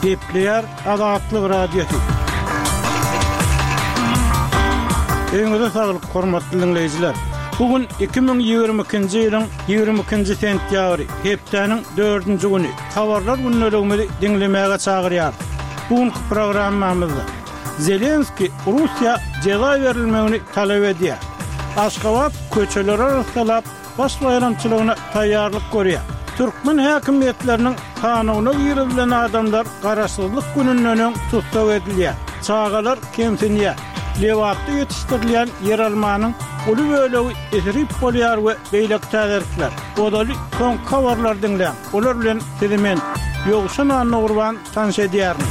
Gepleýär Azatlyk Radiosy. Öýüňize saglyk, hormatly diňleýjiler! Bu gün 2022-nji ýylyň 22-nji sentýabry, hepdäniň dördünji güni. Habarlar gündeligimizi diňlemäge çagyrýarys. Bu günki programmamyzda Zelenskiý Russiýa jeza berilmegini talap edýär. Aşgabat köçeleri arassalap, Baş baýramçylygyna taýýarlyk görýär. Türkmen häkimiýetleriniň sanawyna girizilen adamlar Garaşsyzlyk gününden öň tussag edilýär. Çagalar kemsinýär. Lebapda ýetişdirilýän ýeralmanyň uly bölegi isrip bolýar we beýleki täzelikler. Ozaly soňky habarlary diňläň. Olar bilen sizi men, Ýowşan Annagurban tanyş edýärin.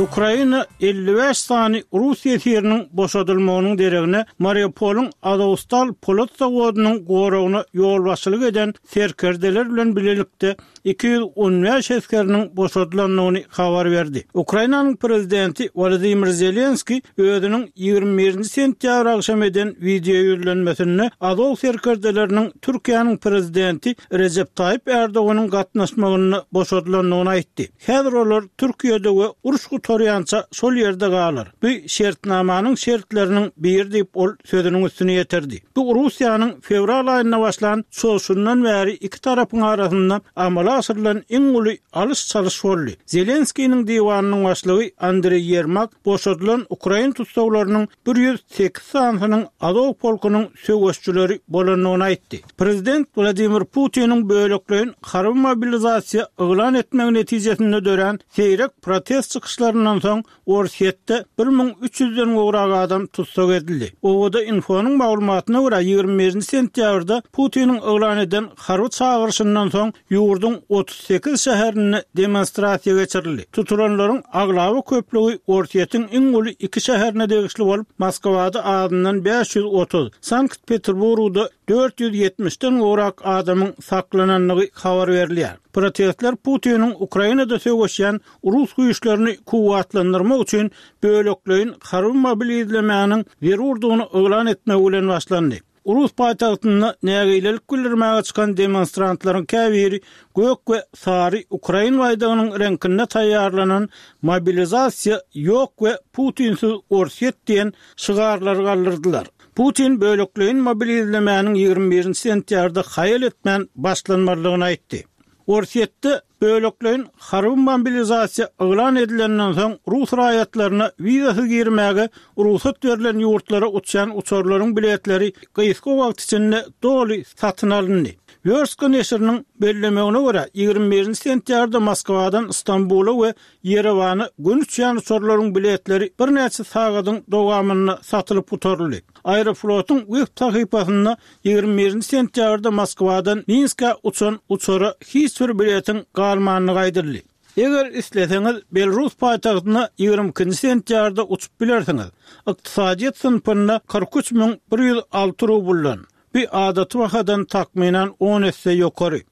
Ukraina 55 sany rus ýesiriniň boşadylmagynyň deregine Mariupolyň Azowstal polat zawodynyň goragyna ýolbaşçylyk eden serkerdeler bilen bilelikde 215 esgeriniň boşadylandygyny habar berdi. Ukrainanyň prezidenti Wolodymyr Zelenskiý özüniň 21-nji sentýabr agşam eden wideoýüzlenmesinde Azow serkerdeleriniň Türkiýäniň prezidenti Rejep Taýyp Ärdoganyň gatnaşmagynda boşadylandygyny aýtdy. Häzir olar Türkiýede we uruş gutarýança şol ýerde galar. Bu şertnamanyň şertleriniň biri diýip, ol sözüniň üstüni ýetirdi. Bu Russiýanyň fewral aýynda başlan çozşundan bäri iki tarapyň arasynda amala aşyrylan iň uly alyş-çalyş boldy. Zelenskiniň diwanynyň başlygy Andreý Ýermak boşadylan ukrain tussaglarynyň 108 sanysynyň Azow polkunyň söweşçileri bolandygyny aýtdy. Prezident Wladimir Putiniň bölekleýin harby mobilizasiýa yglan etmegi netijesinde dörän seýrek protest çykyşlaryndan soň Orsýetde 1300 den gowrak adam tussag edildi. OVD-Info-nyň maglumatyna görä, 21-nji sentýabrda Putiniň yglan eden harby çagyryşyndan soň ýurduň 38 şäherinde demonstrasiýa geçirildi. Tutulanlaryň aglaba köplügi Orsýetiň iň uly iki şäherine degişli bolup, Moskwada azyndan 530, Sankt-Peterburgda 470 den gowrak adamyň saklanandygy habar berilýär. Protestler Putiniň Ukrainada söweşýän rus güýçlerini kuwwatlandyrmak üçin bölekleýin harby mobilizlemäniň zerurdygyny yglan etmegi bilen başlandy. Rus paýtagtynda nägilelik bildirmäge çykan demonstrantlaryň käbiri gök we sary ukrain baýdagynyň reňkinde taýýarlanan Mobilizasiýa ýok we Putinsiz Orsýet diýen şygarlary galdyrdylar. Putin bölekleýin mobilizlemäniň 21-nji sentýabrda haýal etmän başlanmalydygyny aýtdy. Orsýetde bölekleýin harby mobilizasiýa yglan edilenden soň rus raýatlaryna wizasyz girmäge rugsat berlen ýurtlara uçýan uçarlaryň biletleri gysga wagt içinde doly satyn alyndy. Wýorstka neşiriniň bellemegine görä, 21-nji sentýabrda Moskwadan Stambula we Ýerewana göni uçýan uçarlaryň biletleri birnäçe sagadyň dowamynda satylyp gutaryldy. Aeroflotyň web sahypasynda 21-nji sentýabrda Moskwadan Minskä uçan uçara hiç bir biletiň galmandygy aýdyldy. Eger isleseňiz, Belarus paýtagtyna 22-nji sentýabrda uçup bilersiňiz. Ykdysadyýet synpynda 43 106 rubldan, bu adaty bahadan takmynan on esse ýokary.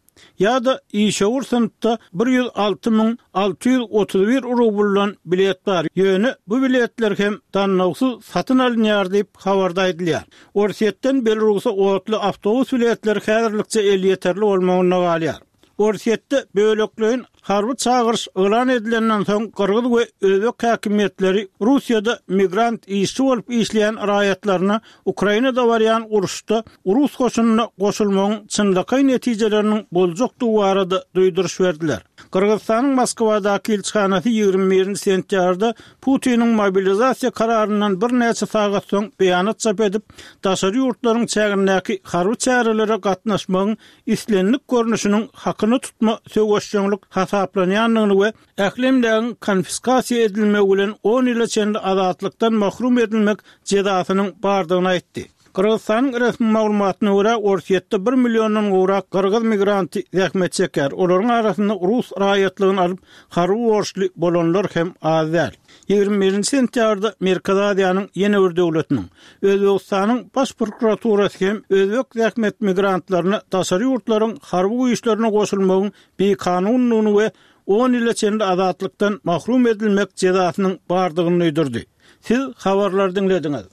Ýa-da işewür synpda 106 631 rubldan bilet bar, ýöne bu biletler hem dannawsyz satyn alynýar diýip, habarda aýdylýar. Orsýetden Belarusa otly awtobus biletleri häzirlikçe elýeterli bolmagynda galýar. Orsýetde bölekleýin harby çagyryş yglan edilenden soň gyrgyz we özbek häkimiýetleri Russiýada migrant işçi bolup işleýän raýatlaryna Ukrainada barýan uruşda rus goşunyna goşulmagyň çynlakaý netijeleriniň boljakdygy barada duýduryş berdiler. Gyrgyzystanyň Moskwadaky ilçihanasy 21-nji sentýabrda Putiniň mobilizasiýa kararyndan birnäçe sagat soň beýanat çap edip, daşary ýurtlaryň çägindäki harby çärelere gatnaşmagyň islendik görnüşiniň hakyna tutma söweşjeňlik hasaplanýandygyny we ähli emlägiň konfiskasiýa edilmegi bilen on ýyla çenli azatlykdan mahrum edilmek jezasynyň bardygyny aýtdy. Gyrgyzystanyň resmi maglumatyna görä, Orsýetde bir milliondan gowrak gyrgyz migranty zähmet çekýär, olaryň arasynda rus raýatlygyny alyp, harby borçly bolanlar hem az däl. 21-nji sentýabrda Merkezi Aziýanyň ýene bir döwletiniň, Özbegistanyň Baş prokuraturasy hem özbek zähmet migrantlaryna daşary ýurtlaryň harby güýçlerine goşulmagyň bikanundygyny we on ýyla çenli azatlykdan mahrum edilmek jezasynyň bardygyny duýdurdy. Siz habarlary diňlediňiz.